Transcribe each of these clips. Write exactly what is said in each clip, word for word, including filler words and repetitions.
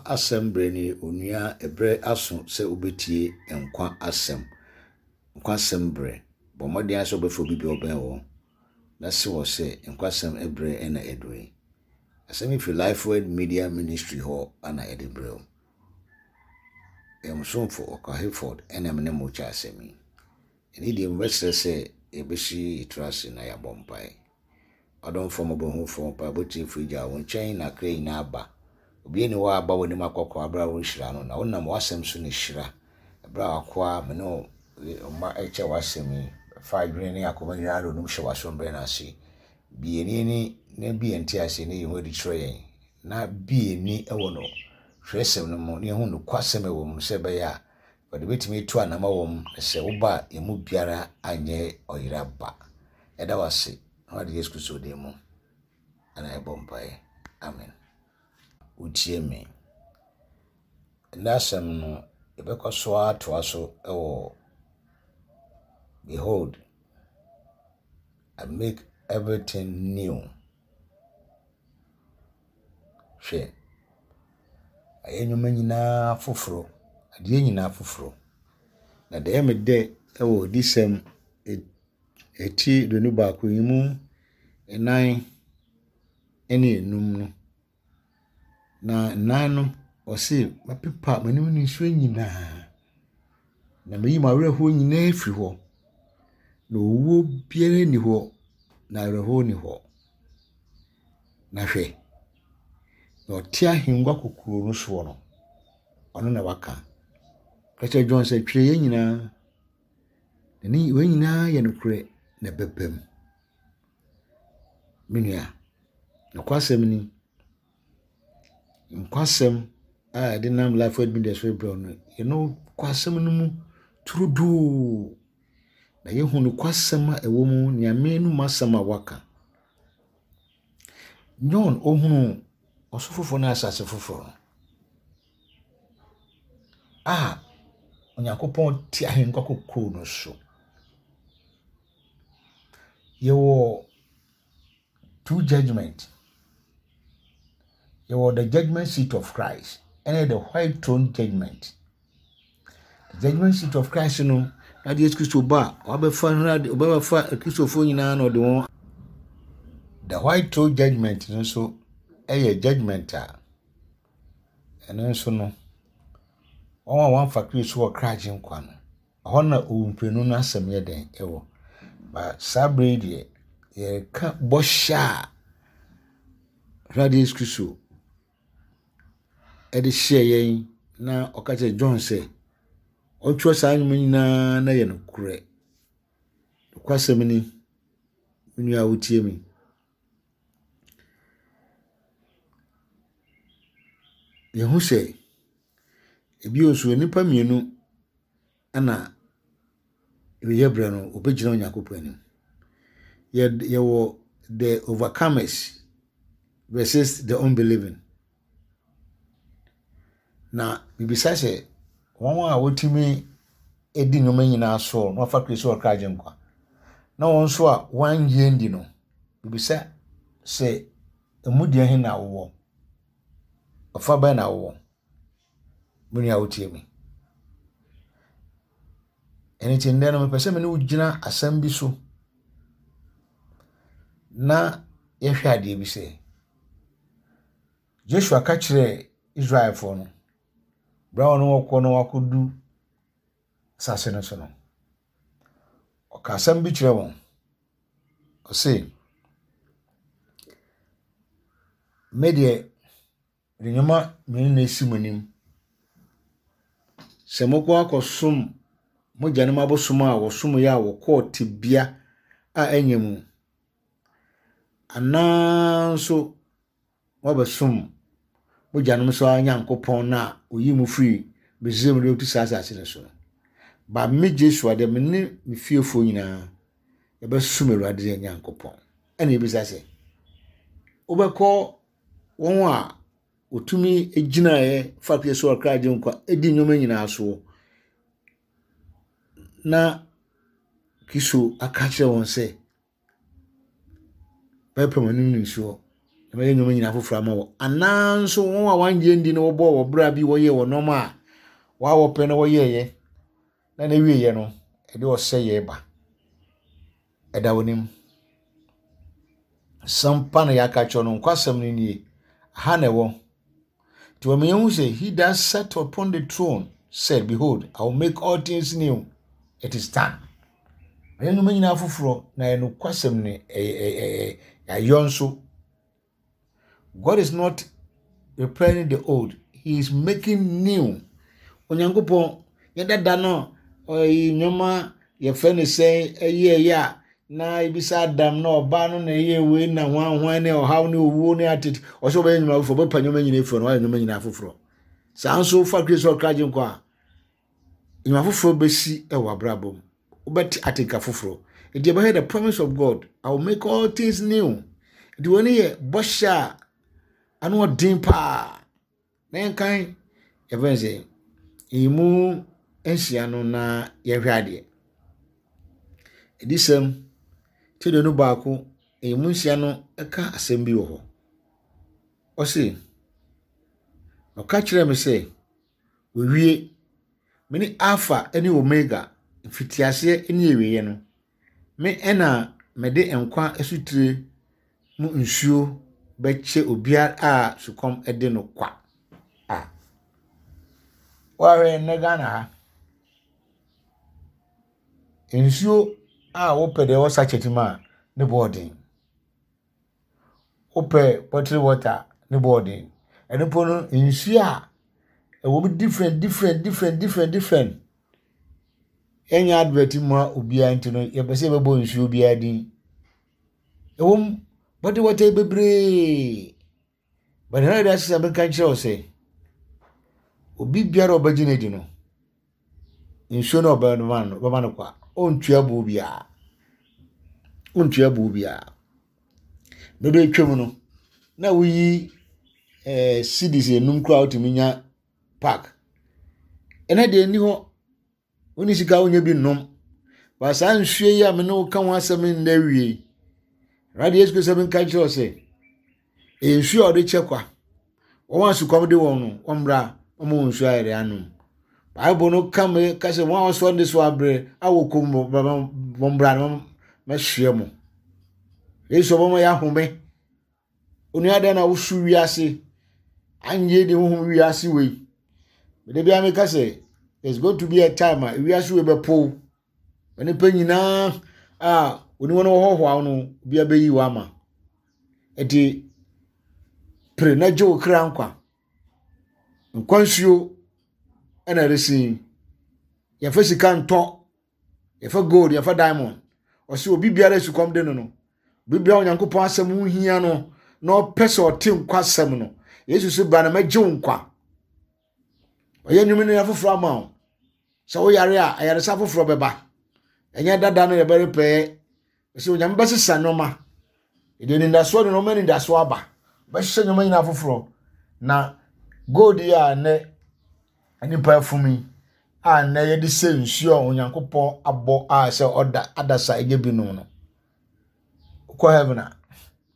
Asɛm berɛ nie, onua, ɛberɛ aso sɛ wobɛtie nkwa asɛm. Nkwa asɛm berɛ. Bɔ mmɔden ara sɛ wobɛfa obi bi a ɔbɛn wo na se wɔ sɛ nkwa asɛm berɛ na aduru yi. Asɛm yi firi Lifeword Media Ministry hɔ na yɛde brɛ wo. Yɛn somfo Ɔkwa Hayford ɛna me ne mo kyɛ asɛm yi. Ɛne deɛ mebɛsrɛ sɛ yɛbɛsi yɛtiri ase na yɛabɔ mpae. Ɔdomfoɔ mmɔborɔhunufoɔ mpaebɔ tiefo Agya, wo nkyɛn na akra nyinaa ba. Obiara nni hɔ a aba w'anim akɔkɔ abere a wonhyira no, na wonam w'asɛm so na hyira. Ɛberɛ a w'akoa me ne wo mma rekyɛ w'asɛm yi, fa adwene ne akoma nyinaa de onum hyɛ w'asombrɛ no ase. Bue yɛn ani na bue yɛn nteaseɛ na yi ho adi kyerɛ yɛn, na bue yɛn ani wɔ no twerɛsɛm no mu na yɛhu nokwasɛm a ɛwɔ mu sɛ ɛbɛyɛ a wɔde bɛtumi atu anama wɔ mu na sɛ woba a yɛn mu biara anyɛ ɔyera ba. Ɛda wo ase na wɔde Yesu Kristo din mu ɛna yɛbɔ mpaeɛ. Amen. Wotie me. Ɛnnɛ asɛm no, yɛbɛkɔ so atoa so wɔ Behold, I make everything new. Hwɛ, ayɛ nneɛma nyinaa foforɔ, adeɛ nyinaa foforɔ. Na deɛ ɛyɛ me dɛ wɔ adiyisɛm eti aduonu baako yi mu nnan ne enum no, na nnan no, ɔse mɛpepa m'anim nisuo nyinaa, na meyi m'awerɛhoɔ nyinaa afiri hɔ. Na owuo biara nni hɔ, na awerɛhoɔ nni hɔ. Na hwɛ, na ɔte ahengua kokuroo no soɔ no, ɔno na waka. Ka kyerɛ John sɛ twerɛ yɛn nyinaa, na ne wɔn nyinaa yɛ nokorɛ na ɛbɛba mu. Me nua, nokwasɛm ni, nkwasɛm a yɛde nam Life Word Media so rebrɛ wo no, yɛno nokwasɛm no mu turodoo. Na yɛhu nokwasɛm a ɛwɔ mu, Nyame anom asɛm a waka. John ohunuu ɔsoro foforɔ ne asase foforɔ no a Onyankopɔn te ahengua kokuroo no so. Yɛwɔ two judgment. Yɛwɔ the judgment seat of Christ ɛne the white throne judgment. The judgment seat of Christ no, na de Yesu Kristo ba a wabɛfa ɔbɛfa Kristofoɔ nyinaa na ɔde wɔn. The white throne judgment no nso yɛ judgment a ɛno nso no, wɔn a wɔamfa Kristo wɔ kra agyenkwa no, ɛhɔ na owuprenu no asɛm yɛ den wɔ. Ba saa bere yi deɛ, yɛreka bɔhyɛ a Awurade Yesu Kristo de hyɛɛ yɛn na ɔka kyerɛɛ John sɛ ɔntwerɛ saa nnwoma nyinaa na yɛ nokorɛ. Nokwasɛm ni, me nua a wotie me. Yɛhu sɛ ebio nso nnipa mmienu ɛna awieeɛ berɛ no wɔbɛgyina Onyankopɔn anim. Yɛwɔ the overcomers versus the unbelieving. Na bibisa sɛ wɔn a wɔtumi di nneɛma nyinaa so na wɔafa Kristo ɔkra agyenkwa, na wɔn nso a wɔannye andi no, bibisa sɛ emu deɛ he na wowɔ? Ɔfa bɛn na wowɔ? Me nua a wotie me. Ɛno nti nnɛ no mepɛ sɛ me ne wo gyina asɛm bi so na yɛhwɛ adeɛ bi sɛ Joshua ka kyerɛɛ Israelfoɔ no, berɛ a ɔne wɔkɔ na wɔakɔdu asase no so no, ɔka asɛm bi kyerɛ wɔn. Ɔse, me deɛ, mede nneɛma mmienu na esi mo anim. Sɛ mokɔ akɔsom mo agyanom abosom a wɔsomeɛ a wɔkɔɔ tebea a ɛnyɛ mu, anaa nso moabɛsom mo agyanom so ara Nyankopɔn no a oyii mo firi Misraim de bɛtu saa asase no so no. Ba me Joshua deɛ, me ne me fiefoɔ nyinaa yɛbɛsom Awurade yɛn Nyankopɔn. Ɛna ebisa sɛ, wobɛkɔ wɔn a wɔtumi gyinaeɛ fa Kristo ɔkra agyenkwa di nneɛma nyinaa soɔ na Kristo aka kyerɛ wɔn sɛ, bɛpɛ wɔn anim nisuo Na mɛyɛ nneɛma nyinaa foforɔ ama wɔ. Anaa nso wɔn a wɔangye ndi na wɔbɔɔ wɔ bra bi wɔyɛɛ wɔ nneɛma a wɔawɔpɛ na wɔyɛeɛ na na wieɛ no, ɛde ɔsɛeɛ ba. Ɛda w'anim. Asɛm pa na yɛaka kyerɛ no, nkwasɛm no nie. Aha na ɛwɔ. Nti wɔn yɛn ho sɛ, he that sat upon the throne said, behold, I will make all things new. It is done. Ɛyɛ nneɛma nyinaa foforɔ na ɛyɛ nokwasɛm no ɛyɛ ɛyɛ ayɔ nso. God is not repairing the old, he is making new. Onyankopɔn yɛ dada no ɔyi nneɛma yɛfrɛ no sɛ ɛyɛ ɛyɛ a na ebisa Adam na ɔbaa no na ɛyɛ wei na hwan hwan ne ɔhaw ne owuo ne atete ɔsɛ ɔbɛyɛ nneɛma foforɔ ɔbɛpa nneɛma nyinaa efiri no wayɛ nneɛma nyinaa foforɔ. Saa nso fa Kristo ɔkra gye nkwa a nneɛma foforɔ bɛsi ɛwɔ abrabɔ mu. Wobɛte atenka foforɔ. Nti yɛbɛhwɛ the promise of God. I will make all things new. Nti wɔn yɛ bɔhyɛ a ano ɔden paa. Na yɛnkan yɛfrɛ sɛ emu nsia no na yɛhwɛ adeɛ. Adiyisɛm ti aduonu baako emu nsia no ka asɛm bi wɔ hɔ. Ɔse, ɔka kyerɛɛ me sɛ, wɔawie. Me ne Alpha ne Omega, mfitiaseɛ ne awieeɛ no. Me ɛna mede nkwa asutire mu nsuo bɛkyɛ obiara a sukɔm de no kwa. A wɔahwɛ nnɛ Ghana ha. Nsuo a wopɛ deɛ ɛwɔ sachet mu a ne bɔ ɔden. Wopɛ bottled water ne bɔ ɔden. Ɛno mpo no nsuo a ɛwɔ mu different different different different different. Yɛnyɛ advert mu a obiara nti no yɛpɛ sɛ yɛbɛbɔ nsuo biara din. Ɛwɔ mu bottled water bebree. But ɛna de asesa bɛka nkyerɛ wo sɛ obi biara a ɔbɛgye no adi no nsuo no a ɔbɛma no bɛma no kwa ɔntua bo biara. Ɔntua bo biara. Bɛbɛ atwam no na woyi ɛɛ cedis enum koraa wotumi nya pack. Ɛnɛ deɛ nni hɔ. Wonni sika wonya bi nnom. Ba saa nsuo yi a me ne wo ka ho asɛm nnɛ wie yi, Awurade Yesu Kristo nka kyerɛ wo sɛ ɛyɛ nsuo a ɔde kyɛ kwa. Wɔn a sukɔm de wɔn no, wɔmmra wɔn wɔn nsuo ayɛ de anom. Bible no ka me ka sɛ wɔn a wɔsoa ne so abrɛ a wɔkɔ mu wɔmmra na mɛsoɛ mo. Yesu ɔbɛma yɛ ahome. Onua dɛn na wosu wiase anyɛ de honhom wiase wei. Mede bia meka sɛ there's going to be a time a wiase wei bɛpow. Nnipa nyinaa a oni wɔn wɔhɔhoa no obiara bɛyi wɔ ama. Nti pere na gye wo kra nkwa. Nkwa nsuo ɛna ɛresi. Yɛfa sika ntɔ, yɛfa gold, yɛfa diamond. Ɔsɛ obi biara sukɔm de no no. Obi biara Onyankopɔn asɛm ho hia no na ɔpɛ sɛ ɔte nkwa asɛm no. Yesu so bra na mɛgye wo nkwa. Ɔyɛ nnwuma no foforɔ ama wo. Sɛ woyare a ayaresa foforɔ bɛba. Ɛnyɛ dada no yɛbɛrepɛɛ. Sɛ Onyame bɛsesa nneɛma. Ɛde anidasoɔ de nneɛma anidasoɔ aba. Bɛhyehyɛ nneɛma nyinaa foforɔ. Na gold yi a nnɛ nipa afum yi a nnɛ yɛde sɛ nsuo a Onyankopɔn abɔ a sɛ ɔda adasa ɛnyɛ binom no. Wokɔ heaven a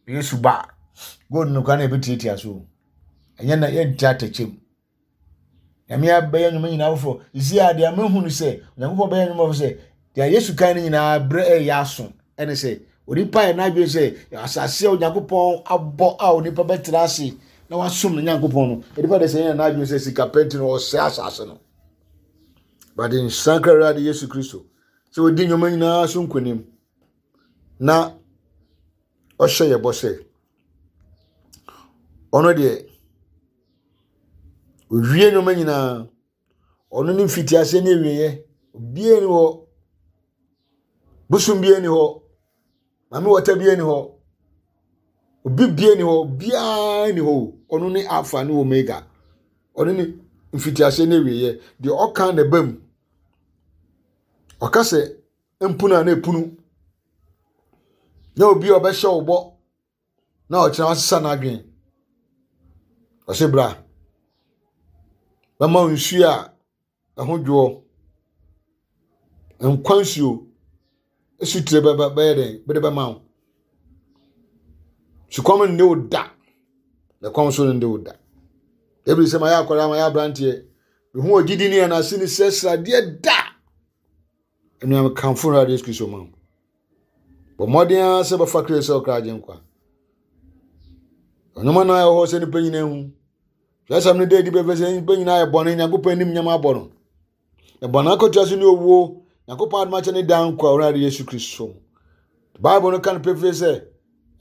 Yesu ba a gold no koraa na yɛbɛtiatia so. Ɛnyɛ na yɛnte atɛkyɛ mu. Nyame abɛyɛ nnwuma nyinaa foforɔ. Sisi a deɛ mehu no sɛ Onyankopɔn bɛyɛ nnwuma foforɔ sɛ deɛ Yesu kan no nyinaa berɛ ɛyɛ aso ɛne sɛ onipa yɛ n'adwene sɛ asase a Onyankopɔn abɔ a onipa bɛtena ase na wasom ne Nyankopɔn no onipa de sɛ yɛn n'adwene sɛ sika pɛ nti no ɔsɛe asase no. But nsankra Awurade Yesu Kristo sɛ ɔdi nnwuma nyinaa so nkonim na ɔhyɛ yɛ bɔ sɛ ɔno deɛ owie nneɛma nyinaa ɔno ne mfitiaseɛ ne awieeɛ obiara ni hɔ bosom biara ni hɔ maame wɔta biara ni hɔ obi biara ni hɔ obiara ni hɔ ɔno ne alpha ne omega ɔno ne mfitiaseɛ ne awieeɛ deɛ ɔka na ɛba mu ɔka sɛ mpunu a na epunu na obi a ɔbɛhyɛ wo bɔ na ɔkyerɛ wasesa n'adwene ɔsɛ bra bɛma wo nsuo a ɛho dwoɔ nkwa nsuo esutire bɛbɛ bɛyɛ dɛ bɛde bɛma wo sukɔm nne wo da. Na kɔm so nde wo da. Ebi sɛ mayɛ akwadaa, mayɛ aberanteɛ, mehu ogyidi ne ɛnase ne sɛ sradeɛ da. Ɛnua, mekamfo Awurade Yesu Kristo ma wo. Bɔ mmɔden ara sɛ bɛfa Kristo sɛ ɔkra agye nkwa. Ɔnwoma no a ɛwɔ hɔ sɛ nnipa nyinaa hu. Twerɛsɛm no da adi pɛpɛ sɛ nnipa nyinaa yɛ bɔne, Nyankopɔn anim nyam abɔ no. Na bɔne akatua so ne owuo, Nyankopɔn adom akyɛ ne daa nkwa Awurade Yesu Kristo mu. Bible no ka no pefee sɛ,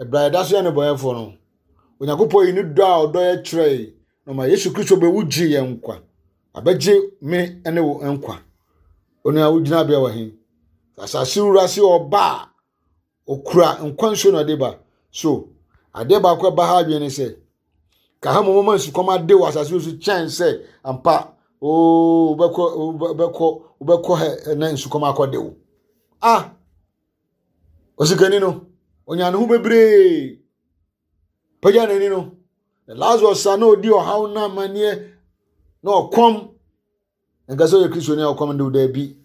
ɛberɛ a yɛda so yɛ nnebɔneyɛfoɔ no, Onyankopɔn yi ne dɔ a ɔdɔ yɛ kyerɛe na ɔma Yesu Kristo bɛwu gye yɛn nkwa. Abɛgye me ne wo nkwa. Onua, wo gyinabea wɔ he? Asase wura se ɔba a, okura nkwa nsuo na ɔde ba. So, adeɛ baako a ɛba ha adwene ne sɛ, ka ha mmom ma nsukɔm ade wɔ asase so kyɛn sɛ ampa oo wobɛkɔ wobɛkɔ wobɛkɔ hɛ na nsukɔm akɔde wo. Ah! Osikani no, onya ne ho bebree. Pagya n'ani no, na Lazarus a na odi ɔhaw na amanneɛ na ɔkɔm, nka sɛ ɔyɛ Kristoni a ɔkɔm de wo daabi.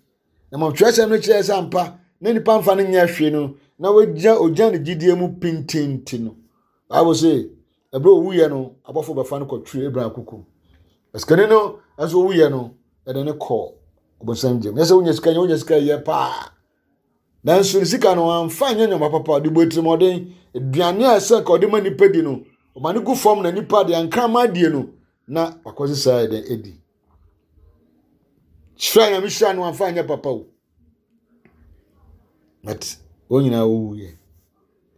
Na mmom twerɛsɛm no kyerɛ sɛ ampa na nipa mfa no nyɛ hwee no, na wagyina ogyina ne gyidie mu pintinti no. Bible sɛ ɛberɛ owuiɛ no, abɔfo bɛfa no kɔtwere Abraham kuku. Sikani no nso owuiɛ no, ɛde ne kɔɔ ɔbonsam gyam. Nyɛ sɛ wonya sika nyɛ, wonya sika yɛ paa. Nanso ne sika no amfa nyɛ nneɛma papa, ɔde bɔ atirimɔden. Aduane a ɛsɛ nka ɔde ma nipa di no, ɔma no gu fam na nipa de ankrama die no, na wakɔse saa ɛdɛn edi. Hyira Nyame hyira no amfa nyɛ papa o. But wɔn nyinaa wɔwuiɛ.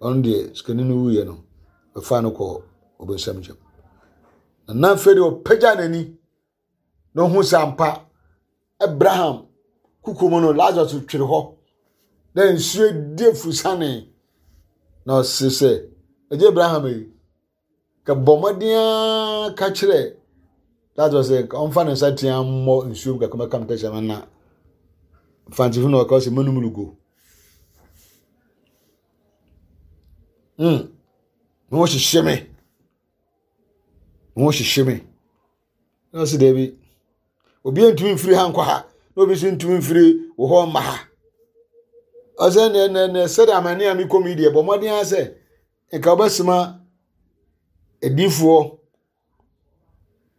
Ɔno deɛ sikani no wuiɛ no, bɛfa no kɔ ɔbonsam gyam. Na na afei deɛ ɔpagya n'ani na ɔhu sɛ ampa Abraham kuku mu no Lazarus twere hɔ na nsuo di afusane na ɔse sɛ agye Abraham yi ka bɔ mmɔden ara ka kyerɛ Lazarus sɛ ɔmfa ne nsa tea mmɔ nsuo mu kakra mɛka me tɛkyerɛma na mfantsefo na ɔka sɛ manum lugo. Mm. Me ho hyehye me. Me ho hyehye me. Na ɔse daabi. Obi ntumi mfiri ha nkɔ ha na obi nso ntumi mfiri wɔ hɔ mma ha. Ɔsɛ nɛ nɛ nɛ sɛdeɛ amane a mekɔ mu yi deɛ bɔ mmɔden ara sɛ nka wobɛsoma adiyifoɔ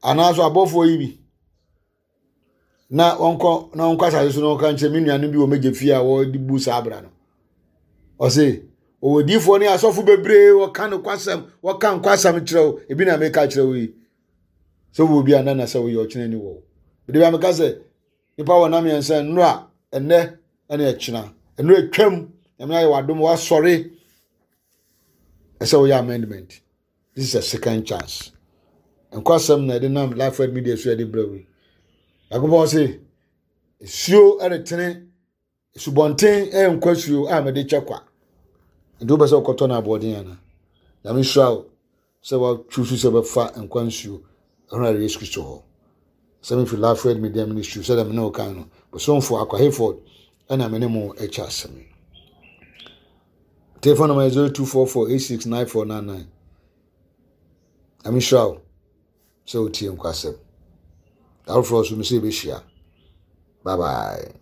anaasɛ abɔfoɔ yi bi na wɔnkɔ na wɔnkɔ asase so na wɔnka nkyerɛ me nuanom bi wɔ m'agya fie a wɔde bu saa abra no. Ɔse ɔwɔ adiyifoɔ ne asɔfo bebree wɔka nokwasɛm wɔka nkwasɛm kyerɛ wo ebi na meka kyerɛ wo yi sɛ wowɔ bi a na na sɛ woyɛ ɔkyena ni wɔ wo. Mede bi a meka sɛ nipa wɔ nam mmiɛnsa nnora ɛnnɛ ɛne ɛkyena nnora atwam Nyame ayɛ w'adom wasɔre ɛsɛ woyɛ amendment. This is a second chance. Nkwasɛm na ɛde nam Life Word Media so yɛde brɛ wo yi. Nyankopɔn se nsuo ɛretene subɔnten ɛyɛ nkwasuo a mede kyɛ kwa. Nti wopɛ sɛ wokɔtɔ no aboɔden ana? Nyame nhyira wo sɛ woatwi so sɛ wobɛfa nkwa nsuo ɛho Yesu Kristo hɔ. Sɛ mefiri Life Word Media Ministry sɛdeɛ me ne wo kan no, bosomfo Akwa Hayford ɛna me ne mo ɛkyɛ asɛm yi. Telephone number zero two four four eight six nine four nine nine. Nyame nhyira wo sɛ wotie nkwasɛm. Afoforɔ nso me sɛ yɛbɛhyia. Bye bye.